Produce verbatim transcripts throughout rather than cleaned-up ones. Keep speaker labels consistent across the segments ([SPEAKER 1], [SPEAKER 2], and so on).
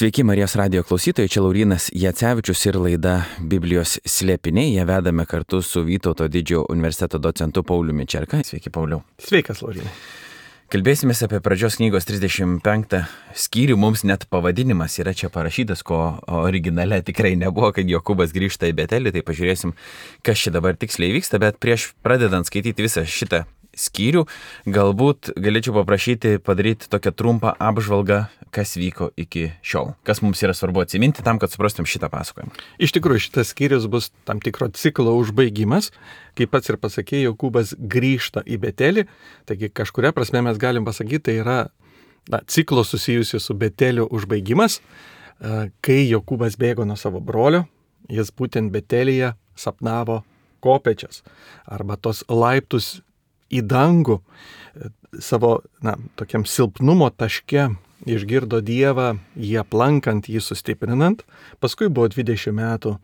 [SPEAKER 1] Sveiki Marijos radijo klausytojai, čia Laurynas Jacevičius ir laida Biblijos slėpiniai. Ją vedame kartu su Vytauto didžiojo universiteto docentu Pauliumi Čerka. Sveiki, Pauliau.
[SPEAKER 2] Sveikas, Laurynai.
[SPEAKER 1] Kalbėsime apie pradžios knygos trisdešimt penktą skyrių. Mums net pavadinimas yra čia parašytas, ko originale tikrai nebuvo, kad Jokūbas grįžta į Betelį. Tai pažiūrėsim, kas čia dabar tiksliai vyksta, bet prieš pradedant skaityti visą šitą skyrių, galbūt galėčiau paprašyti padaryti tokią trumpą apžvalgą, kas vyko iki šiol. Kas mums yra svarbu atsiminti tam, kad suprastum šitą pasakojimą.
[SPEAKER 2] Iš tikrųjų, šitas skyrius bus tam tikro ciklo užbaigimas. Kaip pats ir pasakė, Jokūbas grįžta į Betelį. Taigi kažkuria prasme mes galim pasakyti, tai yra na, ciklo susijusi su Beteliu užbaigimas. Kai Jokūbas bėgo nuo savo brolio, jis būtent Betelyje sapnavo kopečias arba tos laiptus į dangų. Savo na, tokiam silpnumo taške išgirdo Dievą, jį aplankant, jį sustiprinant. Paskui buvo dvidešimt metų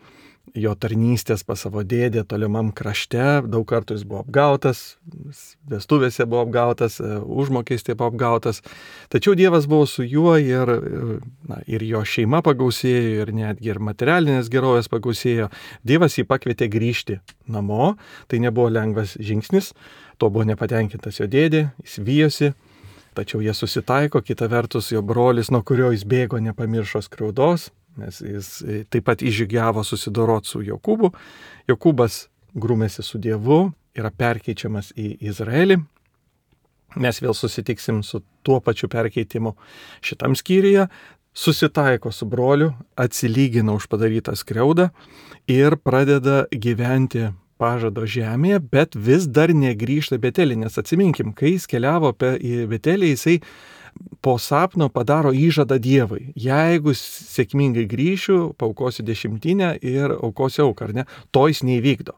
[SPEAKER 2] jo tarnystės pas savo dėdę tolimam krašte. Daug kartų jis buvo apgautas, vestuvėse buvo apgautas, užmokestį buvo apgautas. Tačiau Dievas buvo su juo ir, na, ir jo šeima pagausėjo, ir netgi ir materialinės gerovės pagausėjo. Dievas jį pakvietė grįžti namo. Tai nebuvo lengvas žingsnis. To buvo nepatenkintas jo dėdė, jis vijosi. Tačiau jie susitaiko, kita vertus jo brolis, nuo kurio jis bėgo, nepamiršo skriaudos, nes jis taip pat įžygiavo susidoroti su Jokūbu. Jokūbas grūmėsi su Dievu, yra perkeičiamas į Izraelį. Mes vėl susitiksim su tuo pačiu perkeitimu šitam skyriuje. Susitaiko su broliu, atsilygina už padarytą skriaudą ir pradeda gyventi pažado žemėje, bet vis dar negrįžta Betelį, nes atsiminkim, kai jis keliavo į Betelį, jisai po sapno padaro įžadą Dievui. Jeigu sėkmingai grįšiu, paaukosiu dešimtinę ir aukosiu auką, ar ne? To jis neįvykdo.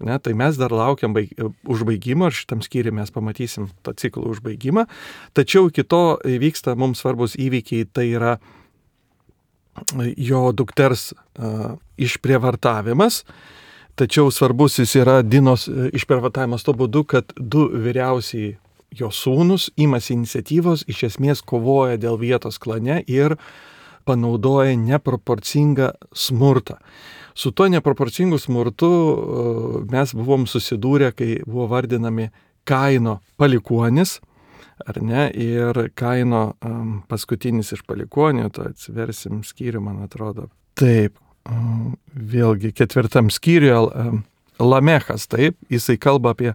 [SPEAKER 2] Ne? Tai mes dar laukiam baig... užbaigimo, ir šitam skyriui mes pamatysim tą ciklų užbaigimą. Tačiau iki to vyksta mums svarbus įvykiai, tai yra jo dukters uh, išprievartavimas. Tačiau svarbus jis yra Dinos išprievartavimas tuo būdu, kad du vyriausiai jo sūnus imasi iniciatyvos, iš esmės kovoja dėl vietos klane ir panaudoja neproporcingą smurtą. Su tuo neproporcingu smurtu mes buvom susidūrę, kai buvo vardinami Kaino palikuonis, ar ne, ir Kaino um, paskutinis iš palikuonių, to atsiversim skyrių, man atrodo. Taip. Vėlgi ketvirtam skyriuje Lamechas, taip, jisai kalba apie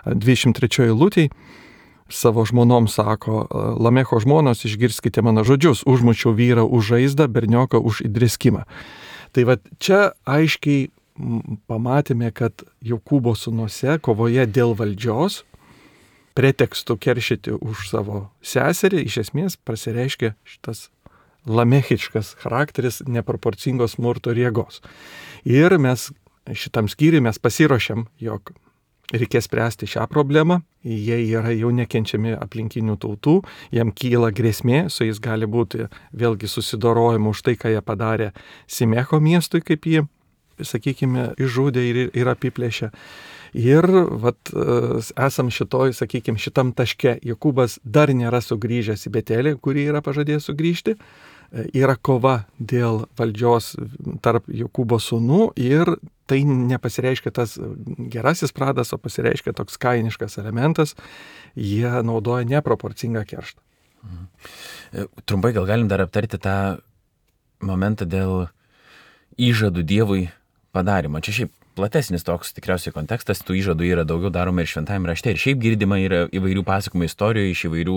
[SPEAKER 2] dvidešimt trečioj eilutėj, savo žmonom sako: Lamecho žmonos, išgirskite mano žodžius, užmučiau vyrą už žaizdą, bernioką už įdrėskimą. Tai va čia aiškiai pamatėme, kad Jokūbo sūnuose kovoje dėl valdžios, pretekstu keršyti už savo seserį, iš esmės prasireiškia šitas lamechiškas charakteris neproporcingos smurto ir jėgos. Ir mes šitam skyriui mes pasiruošiam, jog reikės spręsti šią problemą. Jie yra jau nekenčiami aplinkinių tautų, jam kyla grėsmė, su jais gali būti vėlgi susidorojama už tai, ką jie padarė Simecho miestui, kaip jį, sakykime, išžudė ir, ir apiplėšė. Ir vat, esam šitoj, sakykime, šitam taške. Jokūbas dar nėra sugrįžęs į Betelį, kurį yra pažadėjęs sugrįžti. Yra kova dėl valdžios tarp Jokūbo sūnų ir tai nepasireiškia tas gerasis pradas, o pasireiškia toks kainiškas elementas. Jie naudoja neproporcingą kerštą.
[SPEAKER 1] Mhm. Trumpai gal galim dar aptarti tą momentą dėl įžadų Dievui padarimo. Čia šiaip platesnis toks tikriausiai kontekstas, tų įžadų yra daugiau daroma ir šventajame rašte. Ir šiaip girdima yra įvairių pasakojimų istorijų iš įvairių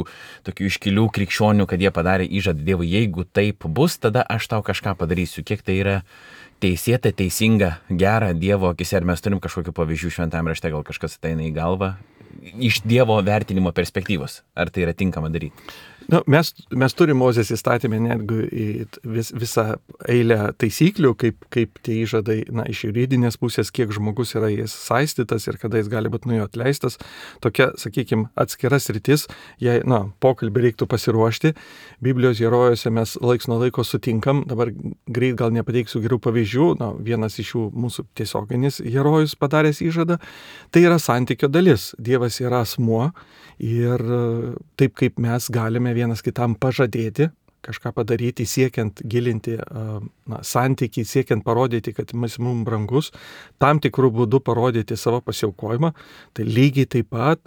[SPEAKER 1] tokių iškilių krikščionių, kad jie padarė įžadą Dievui: jeigu taip bus, tada aš tau kažką padarysiu. Kiek tai yra teisėta, teisinga, gera Dievo akise? Ar mes turim kažkokių pavyzdžių šventajame rašte, gal kažkas ateina į galvą iš Dievo vertinimo perspektyvos? Ar tai yra tinkama daryti?
[SPEAKER 2] Nu, mes, mes turime Mozės įstatymę netgi vis, visą eilę taisyklių, kaip, kaip tie įžadai, na, iš juridinės pusės, kiek žmogus yra jais saistytas ir kada jis gali būti nuo jo atleistas. Tokia, sakykime, atskiras rytis, jei, na, pokalbį reiktų pasiruošti. Biblijos herojose mes laiks nuo laiko sutinkam, dabar greit gal nepateiksiu gerų pavyzdžių, na, vienas iš jų mūsų tiesioginis herojus padaręs įžadą, tai yra santykio dalis. Dievas yra asmuo ir taip kaip mes galime vienas kitam pažadėti, kažką padaryti, siekiant gilinti na, santykį, siekiant parodyti, kad jis mums brangus, tam tikrų būdų parodyti savo pasiaukojimą, tai lygiai taip pat,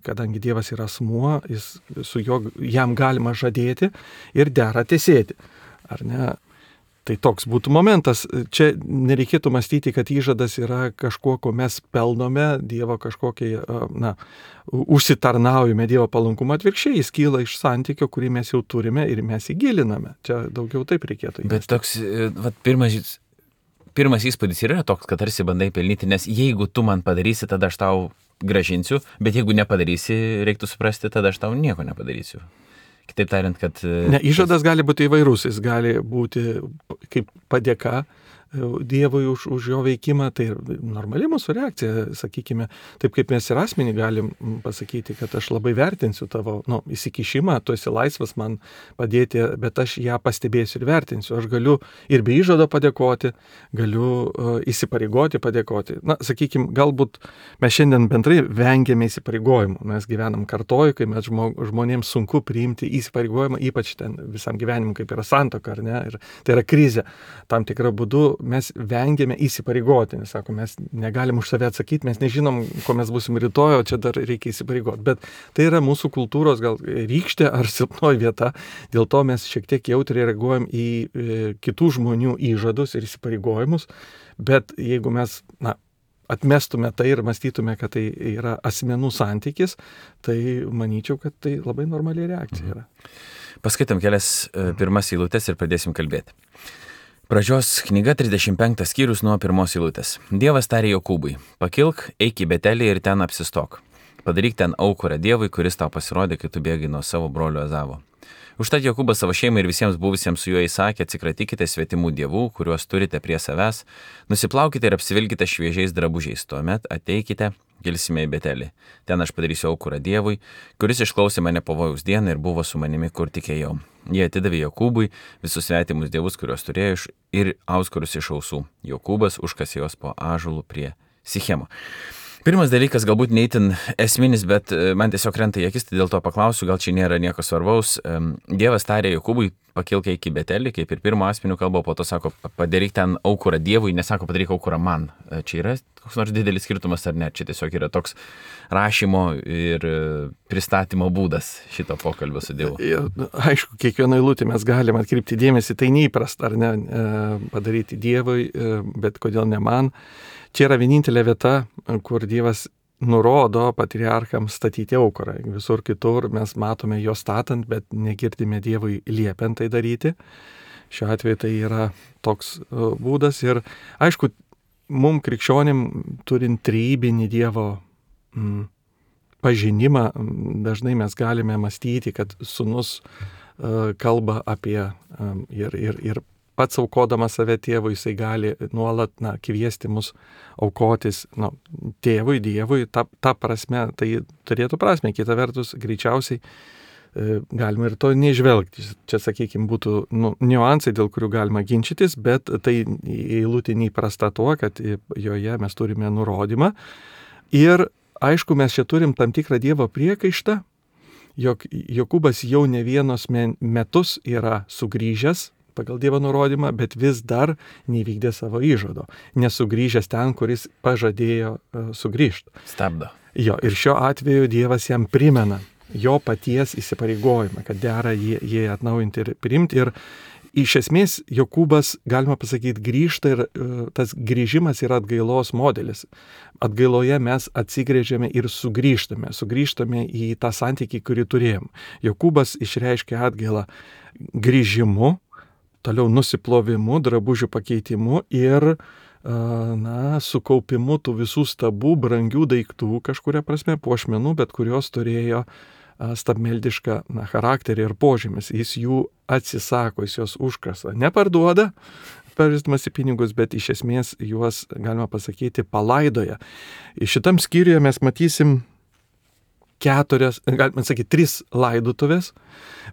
[SPEAKER 2] kadangi Dievas yra asmuo, jis, su juo, jam galima žadėti ir dera tesėti. Ar ne? Tai toks būtų momentas. Čia nereikėtų mąstyti, kad įžadas yra kažkuo, ko mes pelnome, Dievo kažkokiai, na, užsitarnaujame Dievo palankumą, atvirkščiai, jis kyla iš santykio, kurį mes jau turime ir mes įgiliname. Čia daugiau taip reikėtų.
[SPEAKER 1] Bet toks, vat, pirmas, pirmas įspūdis yra toks, kad tarsi bandai pelnyti, nes jeigu tu man padarysi, tada aš tau gražinsiu, bet jeigu nepadarysi, reiktų suprasti, tada aš tau nieko nepadarysiu. Kitaip tariant, kad...
[SPEAKER 2] Ne, įžadas gali būti įvairus, jis gali būti kaip padėka Dievui už, už jo veikimą, tai normali mūsų reakcija, sakykime, taip kaip mes ir asmenį galim pasakyti, kad aš labai vertinsiu tavo nu, įsikišimą, tu esi laisvas man padėti, bet aš ją pastebėsiu ir vertinsiu. Aš galiu ir be įžado padėkoti, galiu uh, įsipareigoti padėkoti. Na, sakykime, galbūt mes šiandien bendrai vengiame įsipareigojimų. Mes gyvenam kartoj, kai mes žmonėms sunku priimti įsipareigojimą, ypač ten visam gyvenimui, kaip yra santuoka, ar ne, ir tai yra krizė. Tam tikrą būdu mes vengiame įsipareigoti, nes sako, mes negalim už save atsakyti, mes nežinom, ko mes būsim rytoj, o čia dar reikia įsipareigoti. Bet tai yra mūsų kultūros gal rykštė ar silpnoji vieta, dėl to mes šiek tiek jautriai reaguojam į e, kitų žmonių įžadus ir įsipareigojimus, bet jeigu mes, na, atmestume tai ir mąstytume, kad tai yra asmenų santykis, tai manyčiau, kad tai labai normali reakcija yra.
[SPEAKER 1] Paskaitom kelias e, pirmas eilutes ir pradėsim kalbėti. Pradžios knyga trisdešimt penktas skyrius nuo pirmos eilutės. Dievas tarė Jokūbui, pakilk, eik į Betelį ir ten apsistok. Padaryk ten aukurą Dievui, kuris tau pasirodė, kai tu bėgai nuo savo brolio Ezavo. Užtat Jokūbas savo šeimai ir visiems buvusiems su juo įsakė, atsikratykite svetimų dievų, kuriuos turite prie savęs, nusiplaukite ir apsivilkite šviežiais drabužiais, tuomet ateikite, gilsime į Betelį. Ten aš padarysiu aukurą Dievui, kuris išklausė mane pavojaus dieną ir buvo su manimi, kur tikėjau. Jie atidavė Jokūbui visus svetimus dievus, kuriuos turėjo, ir auskurus iš ausų. Jokūbas užkasė juos po ąžuolų prie Sichemo. Pirmas dalykas galbūt neįtin esminis, bet man tiesiog krenta į akis, tai dėl to paklausiu, gal čia nėra nieko svarbaus. Dievas tarė Jokūbui, pakilk eik į Betelį, kaip ir pirmo asmeniu kalba, po to sako, padaryk ten aukurą Dievui, nesako, padaryk aukurą man. Čia yra koks nors didelis skirtumas ar ne? Čia tiesiog yra toks rašymo ir pristatymo būdas šito pokalbio su Dievu.
[SPEAKER 2] Aišku, kiekvieną eilutę mes galime atkreipti dėmesį, tai neįprasta, ar ne, padaryti Dievui, bet kodėl ne man. Čia yra vienintelė vieta, kur Dievas nurodo patriarchams statyti aukurą. Visur kitur mes matome jo statant, bet negirdime Dievui liepiant tai daryti. Šiuo atveju tai yra toks būdas. Ir aišku, mum krikščionim turint trejybinį Dievo mm, pažinimą, dažnai mes galime mąstyti, kad sūnus uh, kalba apie um, ir, ir, ir pats aukodamas save tėvui, jisai gali nuolat na, kviesti mus aukotis nu, tėvui, Dievui. Ta, ta prasme, tai turėtų prasme. Kita vertus, greičiausiai e, galima ir to neižvelgti. Čia, sakykime, būtų nu, niuansai, dėl kurių galima ginčytis, bet tai eilutė neįprasta tuo, kad joje mes turime nurodymą. Ir aišku, mes čia turim tam tikrą Dievo priekaištą, jog Jokūbas jau ne vienos metus yra sugrįžęs pagal Dievo nurodymą, bet vis dar nevykdė savo įžado, nesugrįžęs ten, kuris pažadėjo uh, sugrįžti.
[SPEAKER 1] Stabdo.
[SPEAKER 2] Jo, ir šiuo atveju Dievas jam primena jo paties įsipareigojimą, kad dera jį, jį atnaujinti ir priimti. Ir iš esmės Jokūbas, galima pasakyti, grįžta ir uh, tas grįžimas yra atgailos modelis. Atgailoje mes atsigrėžiame ir sugrįžtame, sugrįžtame į tą santykį, kurį turėjom. Jokūbas išreiškia atgailą grįžimu, toliau nusiplovimu, drabužių pakeitimu ir na, sukaupimu tų visų stabų, brangių daiktų, kažkuria prasme puošmenų, bet kurios turėjo stabmeldišką na, charakterį ir požymis. Jis jų atsisako, jis juos užkasa. Neparduoda, pavirstamas į pinigus, bet iš esmės juos, galima pasakyti, palaidoja. Šitam skyriuje mes matysim keturias, galime sakyti, tris laidotuvės,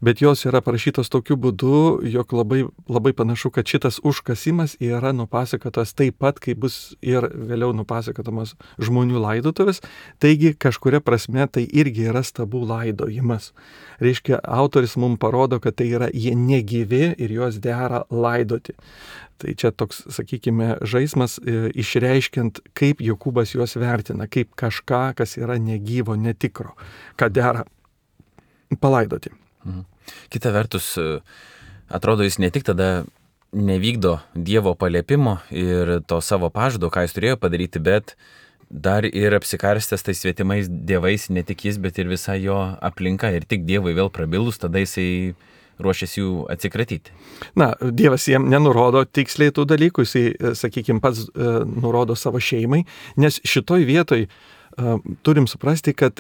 [SPEAKER 2] bet jos yra parašytos tokiu būdu, jog labai, labai panašu, kad šitas užkasimas yra nupasakotas taip pat, kaip bus ir vėliau nupasakotamas žmonių laidotuvės, taigi kažkuria prasme tai irgi yra stabų laidojimas. Reiškia, autoris mums parodo, kad tai yra jie negyvi ir juos dera laidoti. Tai čia toks, sakykime, žaismas e, išreiškiant, kaip Jokūbas juos vertina, kaip kažką, kas yra negyvo, netikro, ką dera palaidoti.
[SPEAKER 1] Mhm. Kita vertus, atrodo, jis ne tik tada nevykdo Dievo paliepimo ir to savo pažado, ką jis turėjo padaryti, bet dar ir apsikarstęs tais svetimais dievais, ne tik jis, bet ir visa jo aplinka. Ir tik Dievui vėl prabilus, tada jisai ruošiasi jų atsikratyti.
[SPEAKER 2] Na, Dievas jiem nenurodo tiksliai tų dalykų, jisai, sakykime, pats e, nurodo savo šeimai, nes šitoj vietoj turim suprasti, kad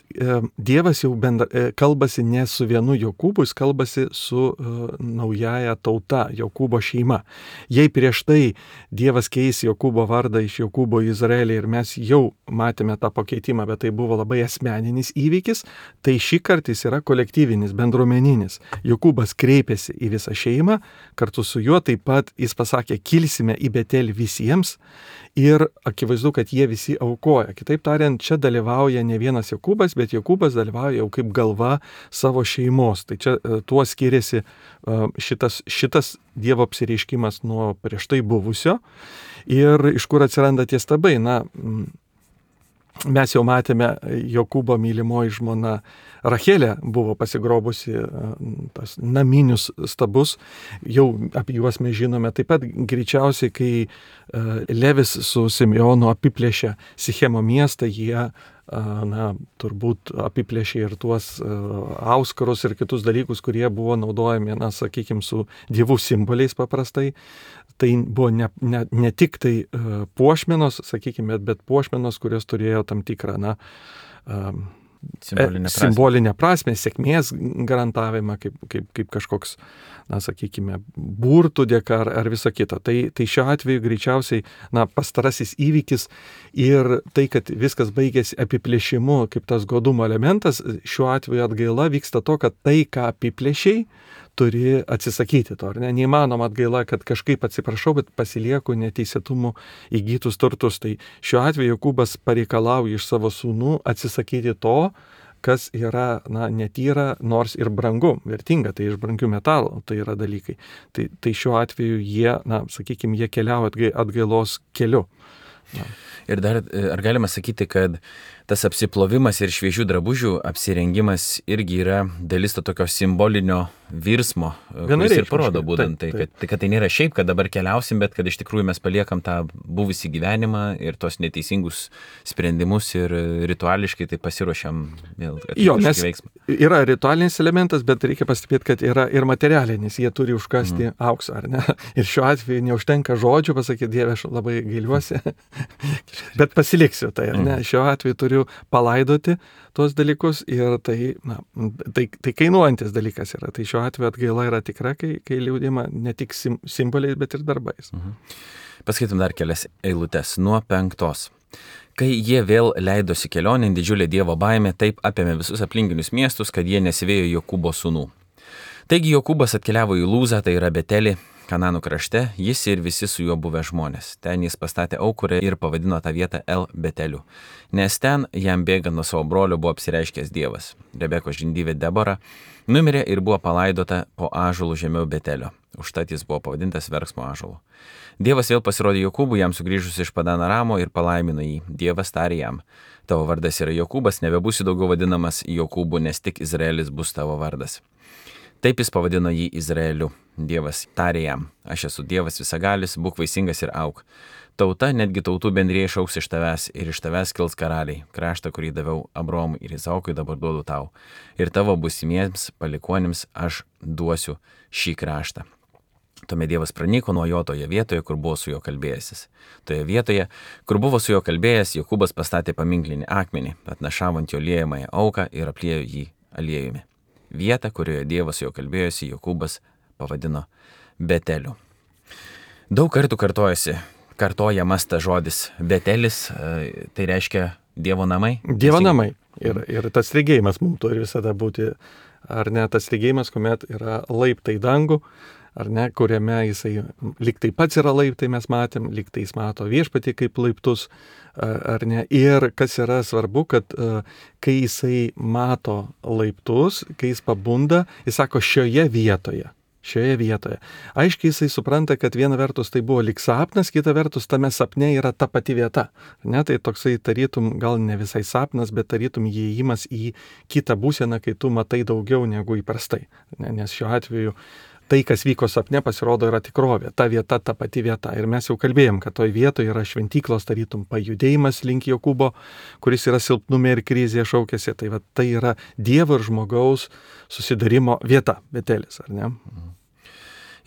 [SPEAKER 2] Dievas jau bendra, kalbasi ne su vienu Jokūbu, jis kalbasi su uh, naujaja tauta, Jokūbo šeima. Jei prieš tai Dievas keis Jokūbo vardą iš Jokūbo į Izraelį ir mes jau matėme tą pakeitimą, bet tai buvo labai asmeninis įvykis, tai šį kartą jis yra kolektyvinis, bendruomeninis. Jokūbas kreipėsi į visą šeimą, kartu su juo taip pat jis pasakė, kilsime į Betelį visiems ir akivaizdu, kad jie visi aukoja. Kitaip tariant, čia dalyvauja ne vienas Jokūbas, bet Jokūbas dalyvauja jau kaip galva savo šeimos. Tai čia tuo skiriasi šitas, šitas Dievo apsireiškimas nuo prieš tai buvusio. Ir iš kur atsiranda tie stabai? Na, mes jau matėme, Jokūbo mylimoji žmona Rachelė buvo pasigrobusi tas naminius stabus, jau apie juos mes žinome. Taip pat greičiausiai, kai Levis su Simeonu apiplėšė Sichemo miestą, jie na, turbūt apiplėšė ir tuos auskarus ir kitus dalykus, kurie buvo naudojami, na, sakykime, su dievų simboliais paprastai. Tai buvo ne, ne, ne tik tai puošmenos, sakykime, bet, bet puošmenos, kurios turėjo tam tikrą, na,
[SPEAKER 1] simbolinę prasme,
[SPEAKER 2] simbolinę prasme sėkmės garantavimą, kaip, kaip, kaip kažkoks, na, sakykime, burtų dėka ar, ar viso kito. Tai, tai šiuo atveju greičiausiai, na, pastarasis įvykis ir tai, kad viskas baigėsi apiplėšimu, kaip tas godumo elementas, šiuo atveju atgaila vyksta to, kad tai, ką apiplėšiai, turi atsisakyti to, ar ne? Neįmanoma atgaila, kad kažkaip atsiprašau, bet pasilieku neteisėtumų įgytus turtus. Tai šiuo atveju Jokūbas pareikalauja iš savo sūnų atsisakyti to, kas yra, na, netyra, nors ir brangu, vertinga, tai iš brangių metalų tai yra dalykai. Tai, tai šiuo atveju jie, na, sakykime, jie keliauja atgailos keliu. Na.
[SPEAKER 1] Ir dar, ar galima sakyti, kad tas apsiplovimas ir šviežių drabužių apsirengimas irgi yra dalis to tokio simbolinio virsmo, kuris ir parodo būtent tai, kad, kad tai nėra šiaip, kad dabar keliausim, bet kad iš tikrųjų mes paliekam tą buvusį gyvenimą ir tos neteisingus sprendimus ir rituališkai tai pasiruošiam vėl.
[SPEAKER 2] Jo, nes veiksmą. Yra ritualinis elementas, bet reikia pastebėti, kad yra ir materialinis, jie turi užkasti mhm. auksą, ar ne? Ir šiuo atveju neužtenka žodžių pasakyti, Dieve, aš labai gailiuosi, bet pasiliksiu tai, ar ne? Mhm. Šiuo atveju turiu palaidoti tuos dalykus ir tai, na, tai, tai kainuojantis dalykas yra. Tai šiuo atveju atgaila yra tikra, kai, kai liūdima ne tik sim, simboliais, bet ir darbais.
[SPEAKER 1] Mhm. Paskaitom dar kelias eilutes nuo penktos. Kai jie vėl leidosi kelionėn, didžiulė Dievo baimė taip apėmė visus aplinkinius miestus, kad jie nesivėjo Jokūbo sūnų. Taigi Jokūbas atkeliavo į Lūzą, tai yra Betelį, Kananų krašte, jis ir visi su juo buvę žmonės. Ten jis pastatė aukurę ir pavadino tą vietą El Beteliu, nes ten jam bėgant nuo savo brolio buvo apsireiškęs Dievas. Rebekos žindyvė Debora numirė ir buvo palaidota po ąžuolų žemiau Betelio. Užtat jis buvo pavadintas verksmo ąžuolu. Dievas vėl pasirodė Jokūbui, jam sugrįžus iš Padano Aramo ir palaimino jį. Dievas tarė jam: tavo vardas yra Jokūbas, nebebūsi daugiau vadinamas Jokūbu, nes tik Izraelis bus tavo vardas. Taip jis pavadino jį Izraeliu. Dievas tarė jam: aš esu Dievas visagalis, būk vaisingas ir auk. Tauta, netgi tautų bendrija išaugs iš tavęs ir iš tavęs kils karaliai. Kraštą, kurį daviau Abromui ir Izaokui, dabar duodu tau. Ir tavo būsimiems palikuonims aš duosiu šį kraštą. Tuomet Dievas pranyko nuo jo toje vietoje, kur buvo su juo kalbėjęsis. Toje vietoje, kur buvo su juo kalbėjęs, Jokūbas pastatė paminklinį akmenį, atnašavo ant jo liejamąją auką ir apliejo jį aliejumi. Vietą, kurioje Dievas jo kalbėjosi, Jokūbas pavadino Beteliu. Daug kartų kartojasi, kartojamas tas žodis Betelis, tai reiškia Dievo namai.
[SPEAKER 2] Dievo namai. Ir, ir tas regėjimas mums turi visada būti, ar ne, tas regėjimas, kuomet yra laiptai dangų, ar ne, kuriame jisai lyg tai pats yra laiptai, mes matėm, lyg tai jis mato viešpatį kaip laiptus, ar ne. Ir kas yra svarbu, kad kai jisai mato laiptus, kai jis pabunda, jis sako šioje vietoje. Šioje vietoje. Aiškiai jisai supranta, kad viena vertus tai buvo lyg sapnas, kita vertus tame sapne yra ta pati vieta. Ne, tai toksai tarytum, gal ne visai sapnas, bet tarytum įėjimas į kitą būseną, kai tu matai daugiau negu įprastai. Ne, nes šiuo atveju tai, kas vyko sapne, pasirodo yra tikrovė. Ta vieta, ta pati vieta. Ir mes jau kalbėjom, kad toj vietoje yra šventyklos tarytum pajudėjimas link Jokūbo, kuris yra silpnume ir krizėje šaukėsi. Tai, va, tai yra Dievo ir žmogaus susidarimo vieta, Betelis, ar ne?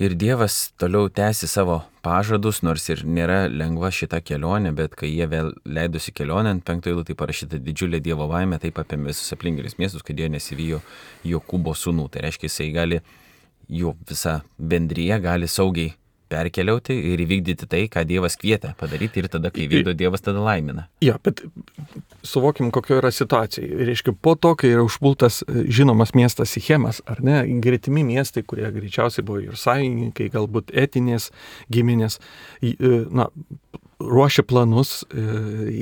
[SPEAKER 1] Ir Dievas toliau tęsi savo pažadus, nors ir nėra lengva šita kelionė, bet kai jie vėl leidosi kelionę, ant penktojo eilutėje parašyta didžiulė Dievo laimė, taip apėmė visus aplinkinius miestus, kad jie nesivijo Jokūbo sūnų. Tai reiškia, jisai gali, jų visa bendryje gali saugiai perkeliauti ir įvykdyti tai, ką Dievas kvietė padaryti, ir tada, kai vykdo Dievas, tada laimina.
[SPEAKER 2] Jo, bet suvokim, kokio yra situacija. Reiškia, po to, kai yra užpultas žinomas miestas Sichemas, ar ne, gretimi miestai, kurie greičiausiai buvo ir sąjungininkai, galbūt etinės giminės, na, ruošia planus e,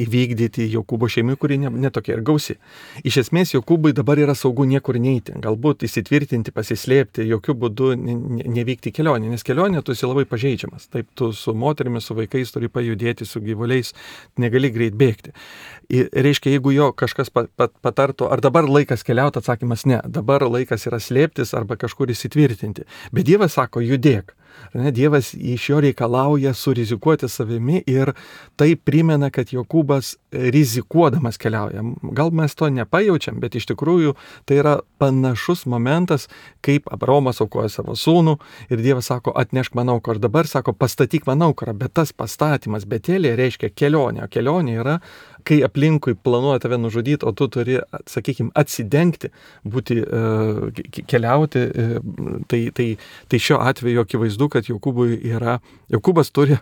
[SPEAKER 2] įvykdyti Jokūbo šeimai, kuri netokia ne ir gausi. Iš esmės, Jokūbai dabar yra saugu niekur neiti, galbūt įsitvirtinti, pasislėpti, jokių būdų ne, ne, nevykti kelionę, nes kelionė tu esi labai pažeidžiamas. Taip, tu su moterimis, su vaikais turi pajudėti, su gyvuliais, negali greit bėgti. Ir, reiškia, jeigu jo kažkas pat, pat, patartų, ar dabar laikas keliauti, atsakymas ne, dabar laikas yra slėptis arba kažkur įsitvirtinti. Bet Dievas sako, judėk. Ne, Dievas iš jo reikalauja surizikuoti savimi ir tai primena, kad Jokūbas rizikuodamas keliauja. Gal mes to nepajaučiam, bet iš tikrųjų tai yra panašus momentas, kaip Abraomas aukoja savo sūnų ir Dievas sako, atnešk man auką, ir dabar sako, pastatyk man auką, bet tas pastatymas Betelėje reiškia kelionė, o kelionė yra, kai aplinkui planuoja tave nužudyti, o tu turi, sakykime, atsidengti, būti, keliauti, tai, tai, tai šiuo atveju akivaizdu, kad Jokūbui yra, Jokūbas turi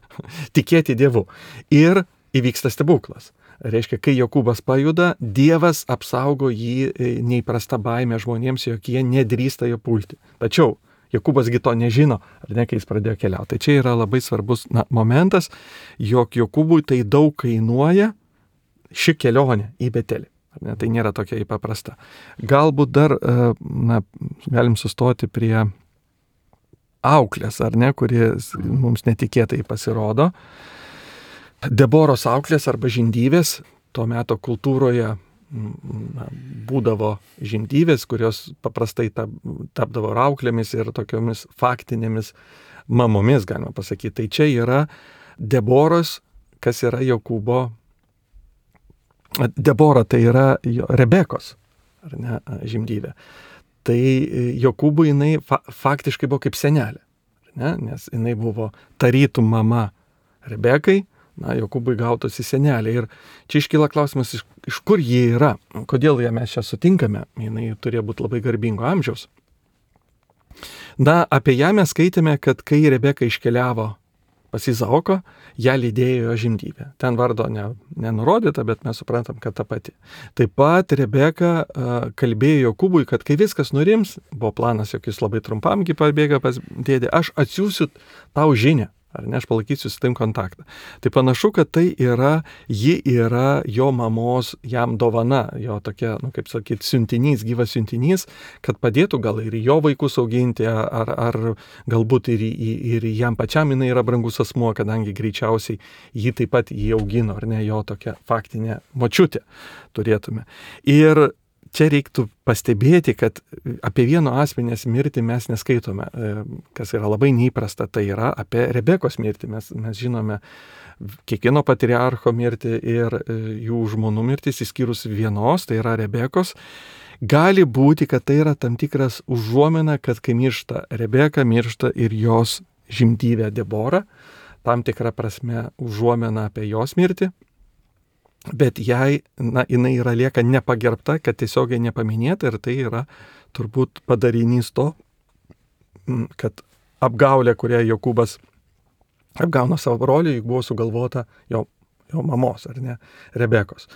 [SPEAKER 2] tikėti Dievu. Ir įvyksta stebuklas. Reiškia, kai Jokūbas pajuda, Dievas apsaugo jį neįprasta baimė žmonėms, jog jie nedrįsta jo pulti. Tačiau Jokūbasgi to nežino, ar ne, kai jis pradėjo keliauti. Tai čia yra labai svarbus na, momentas, jog Jokūbui tai daug kainuoja ši kelionė į Betelį. Ne, tai nėra tokia įpaprasta. Galbūt dar na, galim sustoti prie auklės, ar ne, kuris mums netikėtai pasirodo. Deboros auklės arba žindyvės, tuo meto kultūroje na, būdavo žindyvės, kurios paprastai tap, tapdavo auklėmis ir tokiomis faktinėmis mamomis, galima pasakyti. Tai čia yra Deboros, kas yra Jokūbo. Debora tai yra Rebekos, ar ne, žindyvė. Tai Jokūbui jinai fa- faktiškai buvo kaip senelė, ne? Nes jinai buvo tarytum mama Rebekai, na, Jokūbui gautosi senelė. Ir čia iškyla klausimas, iš, iš kur ji yra, kodėl ją mes čia sutinkame, jinai turėjo būti labai garbingo amžiaus. Na, apie ją mes skaitėme, kad kai Rebeka iškeliavo pas Izaoką, ją lydėjo jo žindyvė. Ten vardo ne, nenurodyta, bet mes suprantam, kad ta pati. Taip pat Rebeka uh, kalbėjo Jokūbui, kad kai viskas nurims, buvo planas, jog jis labai trumpamgi pabėga pas dėdę, aš atsiųsiu tau žinią, ar ne, aš palaikysiu su tavim kontaktą. Tai panašu, kad tai yra, ji yra jo mamos jam dovana, jo tokia, nu, kaip sakyti, siuntinys, gyvas siuntinys, kad padėtų gal ir jo vaikus auginti, ar, ar galbūt ir, ir jam pačiam jinai yra brangus asmuo, kadangi greičiausiai jį taip pat jį augino, ar ne, jo tokia faktinė močiutė turėtume. Ir čia reiktų pastebėti, kad apie vieno asmenės mirtį mes neskaitome, kas yra labai neįprasta, tai yra apie Rebekos mirtį. Mes, mes žinome kiekvieno patriarcho mirtį ir jų žmonų mirtis, išskyrus vienos, tai yra Rebekos. Gali būti, kad tai yra tam tikras užuomina, kad kai miršta Rebeka, miršta ir jos žindyvė Debora, tam tikra prasme užuomina apie jos mirtį. Bet jai, na, jinai yra lieka nepagerbta, kad tiesiogiai nepaminėta ir tai yra turbūt padarinys to, kad apgaulė, kurią Jokūbas apgauna savo brolį, juk buvo sugalvota jo, jo mamos, ar ne, Rebekos.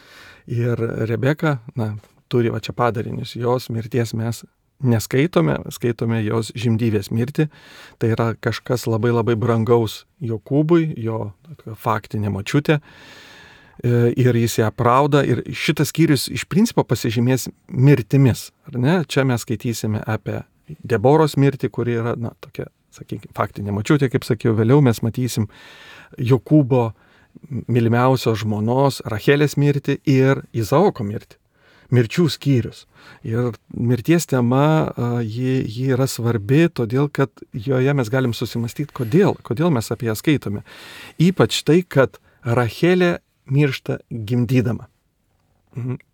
[SPEAKER 2] Ir Rebeka, na, turi va čia padarinius. Jos mirties mes neskaitome, skaitome jos žimdyvės mirtį. Tai yra kažkas labai labai brangaus Jokūbui, jo faktinė močiutė. Ir jis ją aprauda. Ir šitas skyrius iš principo pasižymės mirtimis. Ar ne? Čia mes skaitysime apie Deboros mirtį, kuri yra, na, tokia, sakykime, faktinė močiutė, kaip sakiau, vėliau mes matysim Jokūbo mylimiausios žmonos Rachelės mirtį ir Izaoko mirtį. Mirčių skyrius. Ir mirties tema, ji, ji yra svarbi, todėl, kad joje mes galim susimastyti, kodėl, kodėl mes apie ją skaitome. Ypač tai, kad Rachelė miršta gimdydama.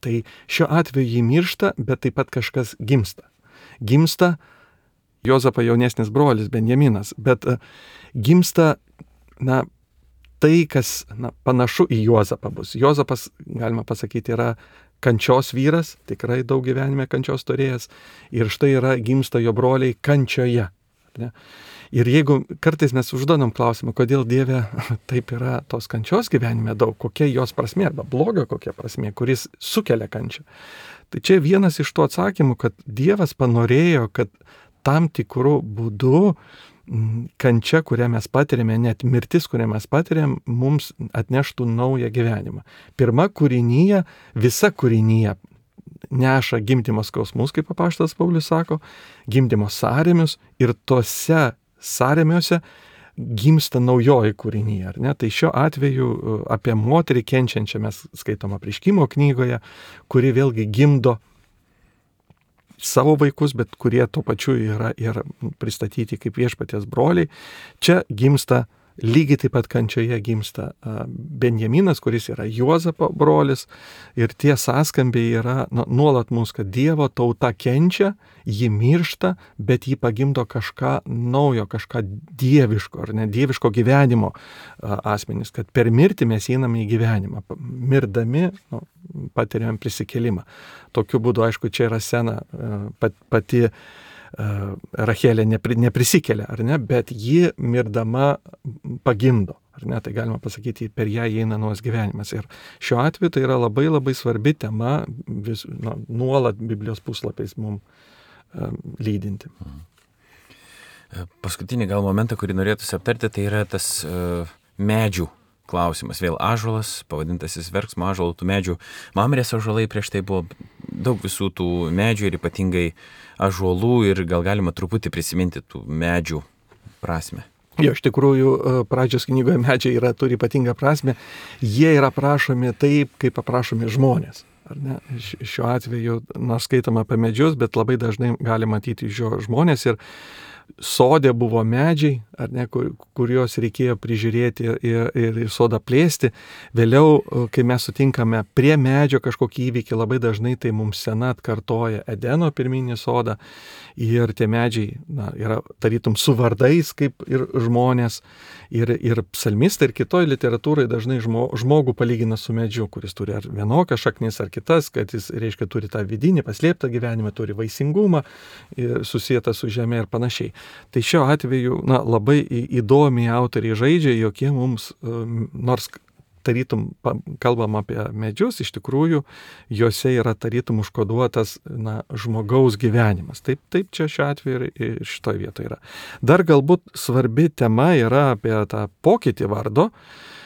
[SPEAKER 2] Tai šiuo atveju ji miršta, bet taip pat kažkas gimsta. Gimsta Jozapo jaunesnis brolis Benjaminas, bet gimsta, na, tai, kas, na, panašu į Juozapą bus. Jozapas, galima pasakyti, yra kančios vyras, tikrai daug gyvenime kančios turėjęs, ir štai yra gimsta jo broliai kančioje. Ne? Ir jeigu kartais mes užduodam klausimą, kodėl Dieve taip yra tos kančios gyvenime daug, kokia jos prasmė, arba bloga kokia prasmė, kuris sukelia kančią. Tai čia vienas iš tų atsakymų, kad Dievas panorėjo, kad tam tikrų būdų kančia, kurią mes patiriame, net mirtis, kurią mes patiriam, mums atneštų naują gyvenimą. Pirma kūrinyje, visa kūrinyje neša gimdymo skausmus, kaip apaštalas Paulius sako, gimdymo sąrėmius, ir tose sąrėmiuose gimsta naujoji kūrinyje, ar ne? Tai šiuo atveju apie moterį kenčiančią mes skaitom Apreiškimo knygoje, kuri vėlgi gimdo savo vaikus, bet kurie tuo pačiu yra ir pristatyti kaip viešpaties broliai. Čia gimsta, lygiai taip pat kančioje gimsta Benjaminas, kuris yra Juozapo brolis, ir tie sąskambiai yra, na, nuolat mūsų, kad Dievo tauta kenčia, ji miršta, bet ji pagimdo kažką naujo, kažką dieviško, ar ne, dieviško gyvenimo asmenys, kad per mirtį mes einame į gyvenimą. Mirdami, nu, patiriam prisikėlimą. Tokiu būdu, aišku, čia yra sena pati Rachelė nepri, neprisikelia, ar ne, bet ji mirdama pagimdo, ar ne, tai galima pasakyti, per ją įeina naujas gyvenimas. Ir šiuo atveju tai yra labai labai svarbi tema, vis, na, nuolat Biblijos puslapiais mums um, lydinti.
[SPEAKER 1] Paskutinį gal momentą, kurį norėtųsi aptarti, tai yra tas uh, medžių klausimas. Vėl ąžuolas, pavadintasis verksmo ąžuolų, tų medžių. Mamrės ąžuolai prieš tai buvo daug visų tų medžių ir ypatingai ąžuolų, ir gal galima truputį prisiminti tų medžių prasme.
[SPEAKER 2] Jo, iš tikrųjų, pradžios knygoje medžiai yra, turi ypatingą prasme. Jie yra aprašomi taip, kaip aprašomi žmonės. Ar ne? Šiuo atveju, nors skaitama apie medžius, bet labai dažnai gali matyti žio žmonės, ir sode buvo medžiai, ar ne, kur, kuriuos reikėjo prižiūrėti ir, ir, ir sodą plėsti. Vėliau, kai mes sutinkame prie medžio kažkokį įvykį, labai dažnai tai mums sena atkartoja Edeno pirminį sodą, ir tie medžiai, na, yra tarytum su vardais, kaip ir žmonės, ir, ir psalmistai, ir kitoj literatūrai dažnai žmo, žmogų palygina su medžiu, kuris turi ar vienokias šaknis, ar kitas, kad jis, reiškia, turi tą vidinį paslėptą gyvenimą, turi vaisingumą, susijęta su žeme ir panašiai. Tai šiuo atveju, na, labai įdomiai autoriai žaidžia, jokie mums, nors tarytum kalbam apie medžius, iš tikrųjų juose yra tarytum užkoduotas, na, žmogaus gyvenimas. Taip, taip čia šiuo atveju ir šitoje vietoje yra. Dar galbūt svarbi tema yra apie tą pokytį vardo,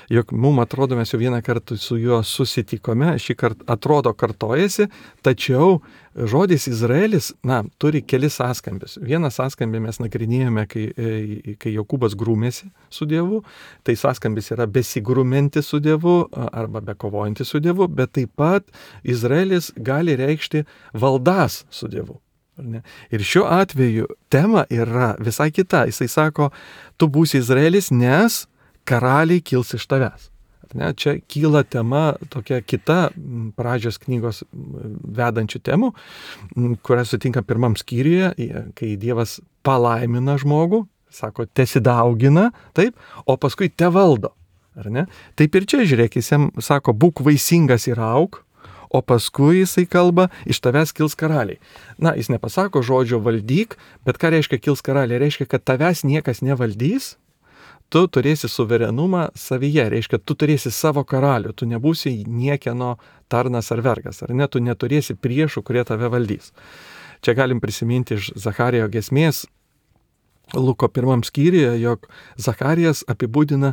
[SPEAKER 2] jog mums atrodo, mes jau vieną kartą su juo susitikome, šį kartą atrodo kartojasi, tačiau žodis Izraelis, na, turi kelis sąskambius. Vieną sąskambį mes nagrinėjome, kai, kai Jokūbas grūmėsi su Dievu, tai sąskambis yra besigrūmenti su Dievu arba bekovojantį su Dievu, bet taip pat Izraelis gali reikšti valdas su Dievu. Ir šiuo atveju tema yra visai kita. Jisai sako, tu būsi Izraelis, nes karaliai kils iš tavęs. Ne, čia kyla tema tokia kita pradžios knygos vedančių temų, kurią sutinka pirmam skyriuje, kai Dievas palaimina žmogų, sako, tesidaugina, taip, o paskui te valdo. Ar ne? Taip ir čia, žiūrėk, jis jam sako, būk vaisingas ir auk, o paskui jisai kalba, iš tavęs kils karaliai. Na, jis nepasako žodžio valdyk, bet ką reiškia kils karaliai? Reiškia, kad tavęs niekas nevaldys, tu turėsi suverenumą savyje, reiškia, tu turėsi savo karalių, tu nebūsi niekieno tarnas ar vergas, ar ne, tu neturėsi priešų, kurie tave valdys. Čia galim prisiminti iš Zacharijo giesmės Luko pirmam skyriuje, jog Zacharijas apibūdina,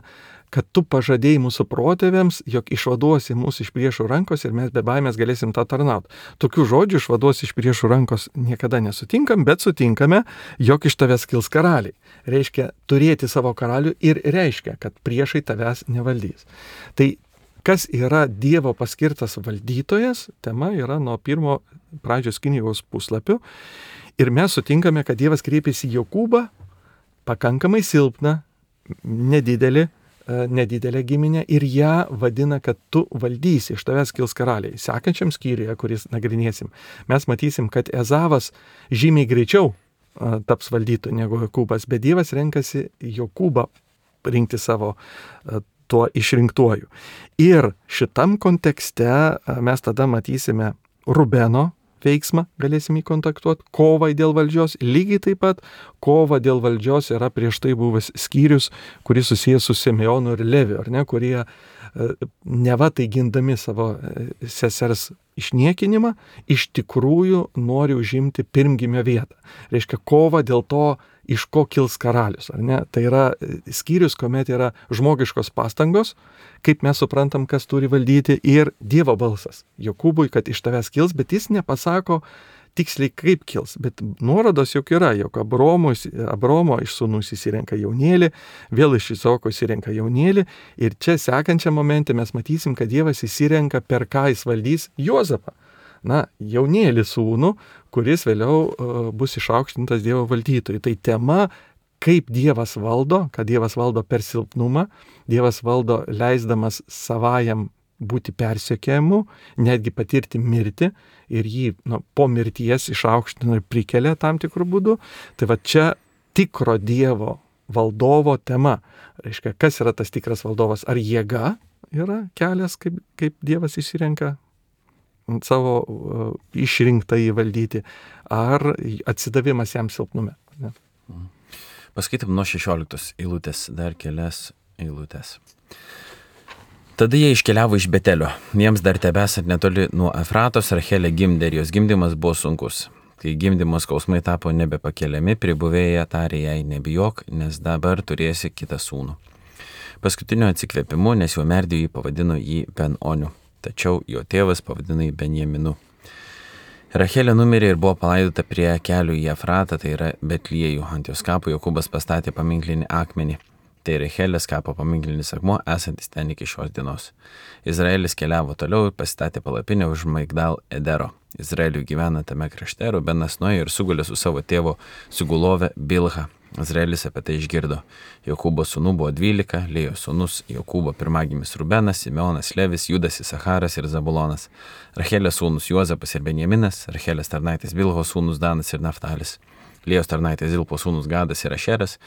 [SPEAKER 2] kad tu pažadėjai mūsų protėviams, jog išvaduosi mūsų iš priešų rankos ir mes be baimės galėsim tą tarnauti. Tokių žodžių išvaduosi iš priešų rankos niekada nesutinkam, bet sutinkame, jog iš tavęs kils karaliai. Reiškia, turėti savo karalių ir reiškia, kad priešai tavęs nevaldys. Tai kas yra Dievo paskirtas valdytojas, tema yra nuo pirmo pradžios knygos puslapių. Ir mes sutinkame, kad Dievas kreipėsi į Jokūbą, pakankamai silpną, nedidelį, nedidelę giminę ir ją vadina, kad tu valdysi, iš tavęs kils karaliai. Sekančiam skyriuje, kuris nagrinėsim, mes matysim, kad Ezavas žymiai greičiau taps valdytoju negu Jokūbas, bet Dievas renkasi Jokūbą rinkti savo tuo išrinktuoju. Ir šitam kontekste mes tada matysime Rubeno veiksmą, galėsim jį kontaktuoti, kovai dėl valdžios, lygiai taip pat kova dėl valdžios yra prieš tai buvęs skyrius, kuris susijęs su Simeonu ir Leviu, ar ne, kurie neva tai gindami savo sesers išniekinimą, iš tikrųjų nori užimti pirmgimio vietą. Reiškia, kova dėl to, iš ko kils karalius, ar ne? Tai yra skyrius, kuomet yra žmogiškos pastangos, kaip mes suprantam, kas turi valdyti, ir Dievo balsas Jokūbui, kad iš tavęs kils, bet jis nepasako tiksliai kaip kils, bet nuorodos juk yra, jog Abromo, Abromo iš sūnų įsirenka jaunėlį, vėl iš Izoko įsirenka jaunėlį, ir čia sekančiam momente mes matysim, kad Dievas įsirenka, per ką jis valdys Juozapą. Na, jaunėlį sūnų, kuris vėliau uh, bus išaukštintas Dievo valdytojui. Tai tema, kaip Dievas valdo, kad Dievas valdo per silpnumą, Dievas valdo leisdamas savajam būti persekiojamu, netgi patirti mirtį ir jį nu, po mirties išaukština ir prikelia tam tikrų būdų. Tai va čia tikro Dievo valdovo tema. Reiškia, kas yra tas tikras valdovas? Ar jėga yra kelias, kaip, kaip Dievas išsirenka savo uh, išrinktą įvaldyti, ar atsidavimas jam silpnume? Ne?
[SPEAKER 1] Paskaitom nuo šešioliktos eilutės, dar kelias eilutės. Tada jie iškeliavo iš Betelio. Jiems dar tebesant netoli nuo Efratos, Rachelė gimdė ir jos gimdymas buvo sunkus. Kai gimdymo skausmai tapo nebepakeliami, pribuvėja tarė jai, nebijok, nes dabar turėsi kitą sūnų. Paskutinio atsikvėpimu, nes jau merdėjo jį, pavadino jį Ben-Oniu, tačiau jo tėvas pavadino jį Benjaminu. Rachelė numirė ir buvo palaidota prie kelių į Efratą, tai yra Betliejų. Ant jos kapo Jokūbas pastatė paminklinį akmenį. Tai Rachelės kapo paminklinis akmuo, esantis ten iki šios dienos. Izraelis keliavo toliau ir pasistatė palapinę už Migdal Edero. Izraeliui gyvena tame krašte, Rubenas nuėjo ir sugulė su savo tėvo Sugulove Bilha. Izraelis apie tai išgirdo. Jokūbo sūnų buvo dvylika, Lėjos sūnus Jokūbo pirmagimis Rubenas, Simeonas, Levis, Judas, Isacharas ir Zabulonas. Rachelės sūnus Juozapas ir Benjaminas, Rachelės tarnaitės Bilhos sūnus Danas ir Naftalis. Lėjos tarnaitės Zilpo sūnus Gadas ir Ašeras.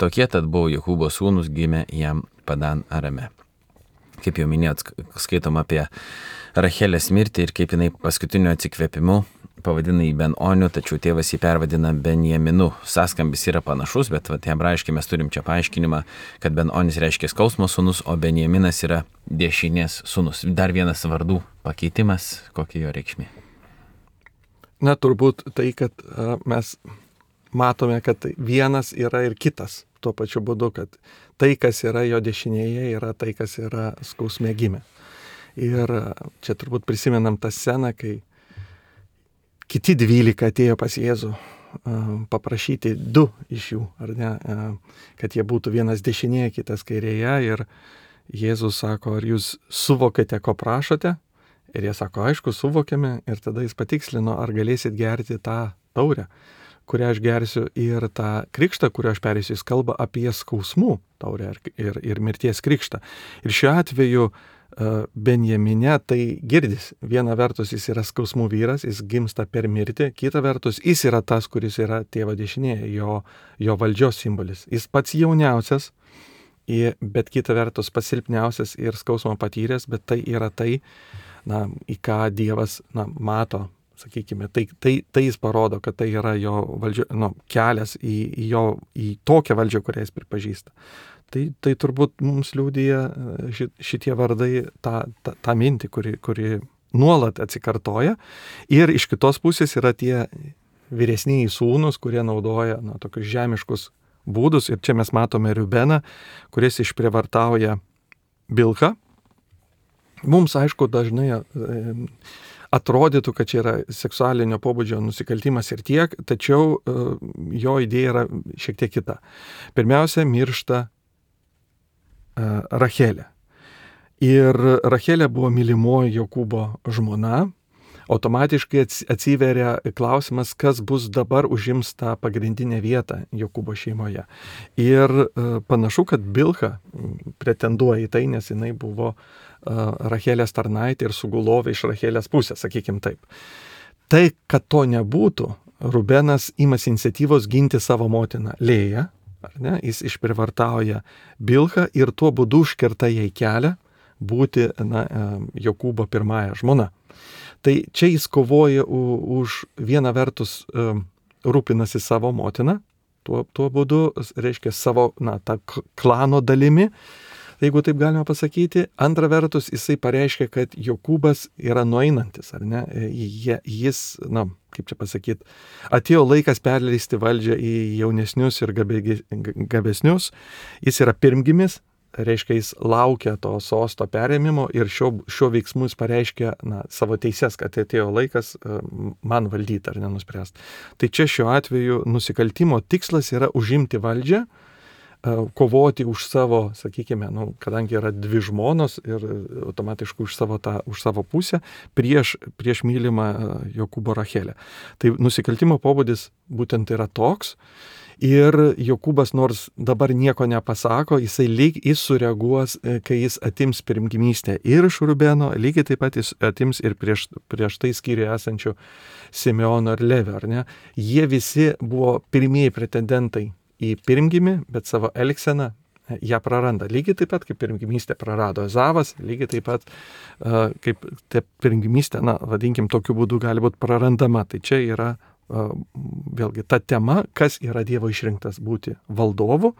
[SPEAKER 1] Tokie tad buvo Jokūbo sūnus, gimė jam Padan Arame. Kaip jau minėjot, skaitom apie Rachelės mirtį ir kaip jinai paskutiniu atsikvėpimu pavadina jį Ben-Oniu, tačiau tėvas jį pervadina Benjaminu. Saskambis yra panašus, bet vat, hebrajiškai mes turim čia paaiškinimą, kad Ben-Onis reiškia skausmo sūnus, o Benjaminas yra dešinės sūnus. Dar vienas vardų pakeitimas, kokia jo reikšmė?
[SPEAKER 2] Na, turbūt tai, kad a, mes matome, kad vienas yra ir kitas. Tuo pačiu būdu, kad tai, kas yra jo dešinėje, yra tai, kas yra skausme gimę. Ir čia turbūt prisimenam tą sceną, kai kiti dvylika atėjo pas Jėzų paprašyti du iš jų, ar ne, kad jie būtų vienas dešinėje, kitas kairėje. Ir Jėzus sako, ar jūs suvokėte, ko prašote? Ir jie sako, aišku, suvokėme. Ir tada jis patikslino, ar galėsit gerti tą taurę, kurią aš gersiu, ir tą krikštą, kuriuo aš perėsiu. Jis kalba apie skausmų taurę ir, ir, ir mirties krikštą. Ir šiuo atveju Benjamine tai girdis. Viena vertus jis yra skausmų vyras, jis gimsta per mirtį, kita vertus jis yra tas, kuris yra tėvo dešinėje, jo, jo valdžios simbolis. Jis pats jauniausias, bet kita vertus pasilpniausias ir skausmo patyręs, bet tai yra tai, na, į ką Dievas na, mato sakykime, tai, tai, tai jis parodo, kad tai yra jo valdžio, nu, kelias į, į, jo, į tokią valdžią, kurią jis pripažįsta. Tai, tai turbūt mums liūdija šitie vardai tą, tą, tą mintį, kuri, kuri nuolat atsikartoja. Ir iš kitos pusės yra tie vyresniai sūnus, kurie naudoja na, tokius žemiškus būdus. Ir čia mes matome Rubeną, kuris išprievartauja Bilhą. Mums, aišku, dažnai atrodytų, kad čia yra seksualinio pobūdžio nusikaltimas ir tiek, tačiau jo idėja yra šiek tiek kita. Pirmiausia, miršta Rachelė. Ir Rachelė buvo mylimoji Jokūbo žmona. Automatiškai atsiveria klausimas, kas bus dabar užims tą pagrindinę vietą Jokūbo šeimoje. Ir panašu, kad Bilha pretenduoja į tai, nes jinai buvo Rachelės tarnaitė ir sugulovė iš Rachelės pusės, sakykim taip. Tai, kad to nebūtų, Rubenas imasi iniciatyvos ginti savo motiną Lėją, ar ne? Jis išprivartauja Bilhą ir tuo būdu užkerta jai kelią būti na, Jokūbo pirmąja žmona. Tai čia jis kovoja už vieną vertus rūpinasi savo motiną, tuo, tuo būdu, reiškia, savo na, tą klano dalimi, jeigu taip galima pasakyti. Antra vertus, jisai pareiškia, kad Jokūbas yra nueinantis, ar ne? Jis, na, kaip čia pasakyti, atėjo laikas perleisti valdžią į jaunesnius ir gabesnius. Jis yra pirmgimis, reiškia, jis laukia to sosto perėmimo ir šio, šio veiksmų jis pareiškia na, savo teises, kad atėjo laikas man valdyti ar nenuspręsti. Tai čia šiuo atveju nusikaltimo tikslas yra užimti valdžią, kovoti už savo, sakykime, nu, kadangi yra dvi žmonos ir automatiškai už savo, tą, už savo pusę prieš, prieš mylimą Jokūbo Rachelę. Tai nusikaltimo pobūdis būtent yra toks. Ir Jokūbas nors dabar nieko nepasako, jisai lyg jis sureaguos, kai jis atims pirmgimystę ir iš Rubeno, lygiai taip pat jis atims ir prieš, prieš tai skyriuje esančių Simeono ir Levio, ar ne? Jie visi buvo pirmieji pretendentai į pirmgimį, bet savo elgseną ją praranda. Lygiai taip pat, kaip pirmgimystę prarado Ezavas, lygiai taip pat, uh, kaip ta pirmgimystė, na, vadinkim, tokiu būdu gali būti prarandama. Tai čia yra vėlgi ta tema, kas yra Dievo išrinktas būti valdovu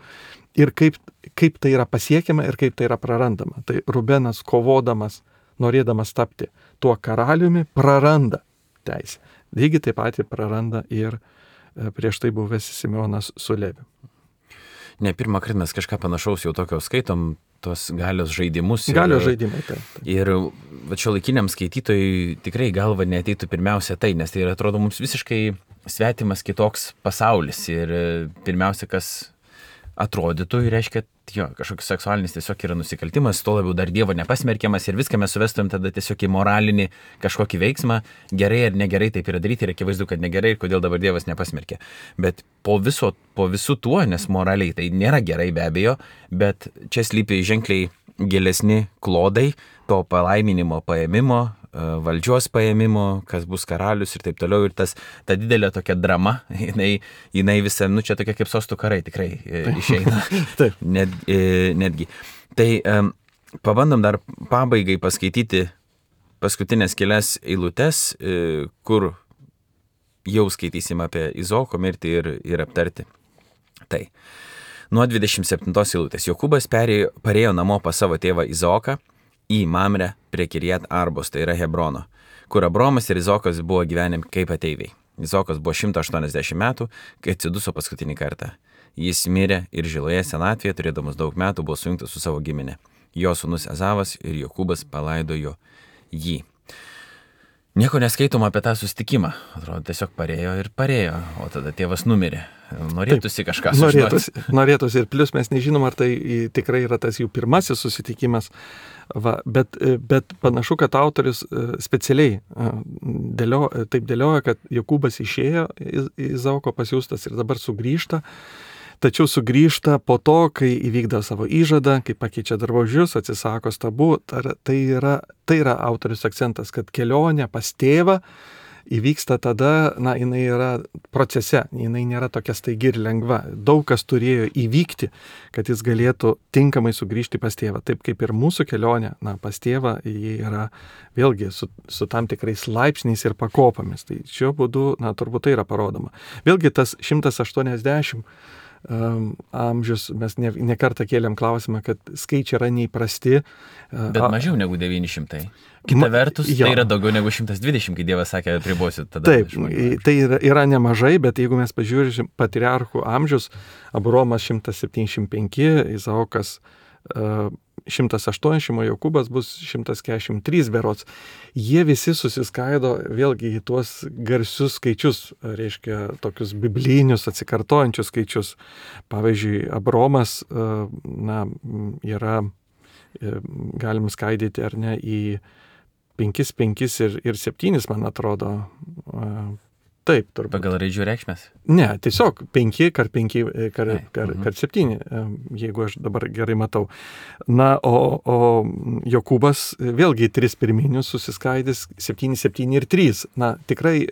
[SPEAKER 2] ir kaip, kaip tai yra pasiekiama ir kaip tai yra prarandama. Tai Rubenas kovodamas, norėdamas tapti tuo karaliumi, praranda teisę. Lygiai taip pat praranda ir prieš tai buvęs Simeonas su Leviu.
[SPEAKER 1] Ne pirmą kartą mes kažką panašaus jau tokio skaitom, tos galios žaidimus. Ir,
[SPEAKER 2] galios žaidimai, taip. taip.
[SPEAKER 1] Ir va šiuolaikiniam skaitytojui tikrai galva neateitų pirmiausia tai, nes tai atrodo mums visiškai svetimas kitoks pasaulis. Ir pirmiausia, kas atrodytų, reiškia, jo, kažkoks seksualinis tiesiog yra nusikaltimas, tuo labiau dar Dievo nepasmerkiamas ir viską mes suvestumėm tada tiesiog į moralinį kažkokį veiksmą, gerai ar negerai taip yra daryti ir akivaizdu, kad negerai ir kodėl dabar Dievas nepasmerkia. Bet po, viso, po visų tuo, nes moraliai tai nėra gerai be abejo, bet čia slypi ženkliai gilesni klodai to palaiminimo paėmimo, valdžios paėmimo, kas bus karalius ir taip toliau. Ir tas, ta didelė tokia drama, jinai, jinai visą, nu čia tokia kaip sostų karai tikrai išeina. Net, netgi. Tai um, pabandom dar pabaigai paskaityti paskutinės kelias eilutes, kur jau skaitysim apie Izaoko mirtį ir, ir aptarti. Tai nuo dvidešimt septintos eilutės. Jokūbas perėjo, parėjo namo pas savo tėvą Izaoką į Mamrę prie Kirjat Arbos, tai yra Hebrono, kur Abromas ir Izaokas buvo gyvenę kaip ateiviai. Izaokas buvo šimtas aštuoniasdešimt metų, kai atsiduso paskutinį kartą. Jis mirė ir žiloje senatvėje, turėdamas daug metų, buvo sujungtas su savo giminė. Jo sūnus Ezavas ir Jokūbas palaidojo jį. Nieko neskaitom apie tą susitikimą. Atrodo, tiesiog parėjo ir parėjo, o tada tėvas numirė. Norėtųsi Taip, kažką sužinoti.
[SPEAKER 2] Norėtųsi, norėtųsi ir plius mes nežinom, ar tai tikrai yra tas jų pirmasis susitikimas. Va, bet, bet panašu, kad autorius specialiai dėlio, taip dėlioja, kad Jokūbas išėjo Izaoko pasiųstas ir dabar sugrįžta. Tačiau sugrįžta po to, kai įvykdo savo įžadą, kai pakeičia drabužius, atsisako stabų. Tai yra, tai yra autorius akcentas, kad kelionė pas tėvą įvyksta tada, na, jinai yra procese, jinai nėra tokia staigi ir lengva. Daug kas turėjo įvykti, kad jis galėtų tinkamai sugrįžti pas tėvą. Taip kaip ir mūsų kelionė, na, pas tėvą, jie yra vėlgi su, su tam tikrais laipsniais ir pakopomis. Tai šiuo būdu, na, turbūt tai yra parodoma. Vėlgi tas šimtas aštuoniasdešimt Um, amžius, mes ne, ne kartą kėlėm klausimą, kad skaičiai yra neįprasti.
[SPEAKER 1] Bet mažiau negu devyni šimtai. Kita vertus, jo. Tai yra daugiau negu šimtas dvidešimt, kai Dievas sakė, apribosit tada.
[SPEAKER 2] Taip, tai yra, yra nemažai, bet jeigu mes pažiūrėsim patriarchų amžius, Abraomas šimtas septyniasdešimt penki, Izaokas uh, šimtas aštuoniasdešimt, o Jokūbas bus šimtas keturiasdešimt trys berods. Jie visi susiskaido vėlgi į tuos garsius skaičius, reiškia tokius biblinius atsikartojančius skaičius. Pavyzdžiui, Abraomas na, yra, galim skaidyti ar ne, į penkis, penkis ir, ir septynis, man atrodo. Taip, turbūt.
[SPEAKER 1] Pagal raidžių reikšmės?
[SPEAKER 2] Ne, tiesiog penki kart penki kart, kart, kart septyni, jeigu aš dabar gerai matau. Na, o, o Jokūbas vėlgi tris pirminius susiskaidys septyni, septyni ir trys. Na, tikrai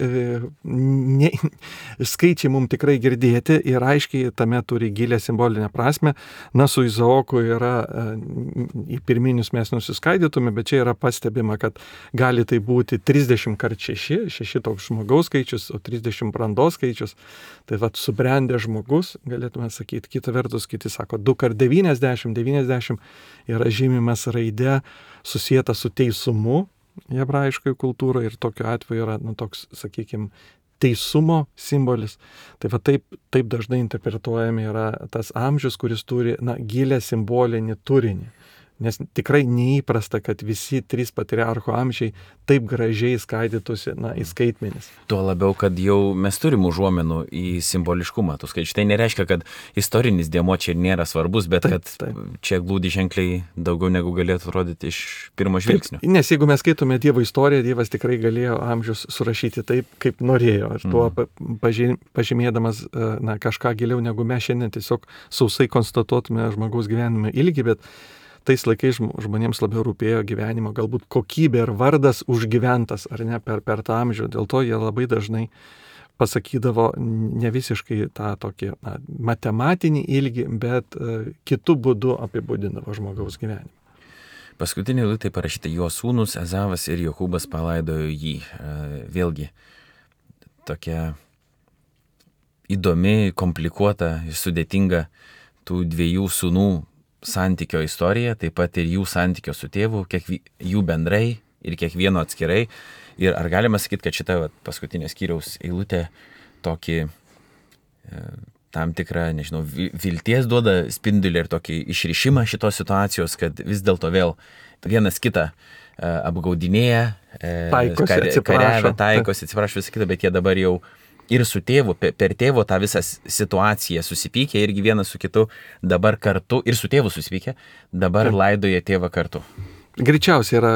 [SPEAKER 2] ne, skaičiai mums tikrai girdėti ir aiškiai tame turi gilę simbolinę prasme. Na, su Izaoku yra, į pirminius mes nusiskaidytume, bet čia yra pastebima, kad gali tai būti trisdešimt kart šeši, šeši toks žmogaus skaičius, trisdešimt brandos skaičius, tai vat subrendęs žmogus, galėtume sakyti, kita vertus, kiti sako, du kart devyniasdešimt, devyniasdešimt yra žymimas raidė susijęta su teisumu hebrajiškoje kultūroje ir tokiu atveju yra, nu, toks, sakykime, teisumo simbolis. Tai va taip, taip dažnai interpretuojami yra tas amžius, kuris turi, na, gilę simbolinį turinį. Nes tikrai neįprasta, kad visi trys patriarcho amžiai taip gražiai skaidytųsi, na, į skaitmenis.
[SPEAKER 1] Tuo labiau, kad jau mes turim užuomenų į simboliškumą tų skaičių. Tai nereiškia, kad istorinis dėmuo čia nėra svarbus, bet taip, kad taip. Čia glūdi ženkliai daugiau negu galėtų rodyti iš pirmo žvilgsnio.
[SPEAKER 2] Taip, nes jeigu mes skaitome Dievo istoriją, Dievas tikrai galėjo amžius surašyti taip, kaip norėjo. Ir tuo mm. pažymėdamas, na, kažką giliau negu mes šiandien tiesiog sausai konstatuotume žmogaus gyvenime ilgį, bet tais laikais žmonėms labiau rūpėjo gyvenimo, galbūt kokybė ir vardas užgyventas, ar ne, per, per tą amžių. Dėl to jie labai dažnai pasakydavo ne visiškai tą tokį, na, matematinį ilgį, bet uh, kitų būdų apibūdindavo žmogaus gyvenimą.
[SPEAKER 1] Paskutinė eilutė parašyta, jo sūnus Ezavas ir Jokūbas palaidojo jį. Uh, vėlgi, tokia įdomi, komplikuota ir sudėtinga tų dviejų sūnų santykio istorija, taip pat ir jų santykio su tėvu, kiekvi, jų bendrai ir kiekvieno atskirai. Ir ar galima sakyti, kad šita vat, paskutinė skyriaus eilutė tokį e, tam tikrą, nežinau, vilties duoda spindulį ir tokį išrišimą šitos situacijos, kad vis dėlto vėl vienas kitą e, apgaudinėja, e,
[SPEAKER 2] taikosi,
[SPEAKER 1] kar,
[SPEAKER 2] atsiprašo.
[SPEAKER 1] Kariavę, taikosi, atsiprašo visą kitą, bet jie dabar jau ir su tėvu, per tėvo tą visą situaciją susipykė, irgi vienas su kitu dabar kartu, ir su tėvu susipykė, dabar laidoja tėvą kartu.
[SPEAKER 2] Greičiausiai yra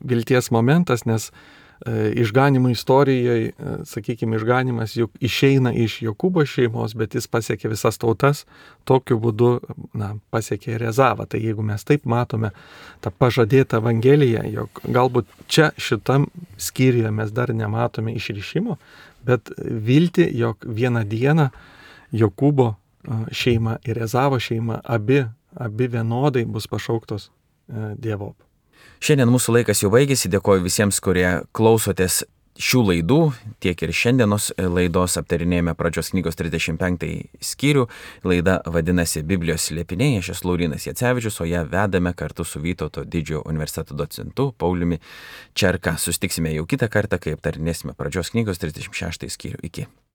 [SPEAKER 2] vilties momentas, nes e, išganimo istorijoje, e, sakykime, išganimas juk išeina iš Jokūbo šeimos, bet jis pasiekė visas tautas, tokiu būdu, na, pasiekė ir Ezavą. Tai jeigu mes taip matome tą pažadėtą evangeliją, jog galbūt čia šitam skyriuje mes dar nematome išrišimo, bet vilti, jog vieną dieną Jokūbo šeima ir Ezavo šeima abi, abi vienodai bus pašauktos Dievop.
[SPEAKER 1] Šiandien mūsų laikas jau baigėsi, dėkoju visiems, kurie klausotės šių laidų, tiek ir šiandienos laidos aptarinėjame pradžios knygos trisdešimt penktąjį skyrių. Laida vadinasi Biblijos slėpiniai, aš esu Laurynas Jacevičius, o ją vedame kartu su Vytauto didžiojo universiteto docentu Pauliumi Čerka. Susitiksime jau kitą kartą, kai aptarinėsime pradžios knygos trisdešimt šeštąjį skyrių. Iki.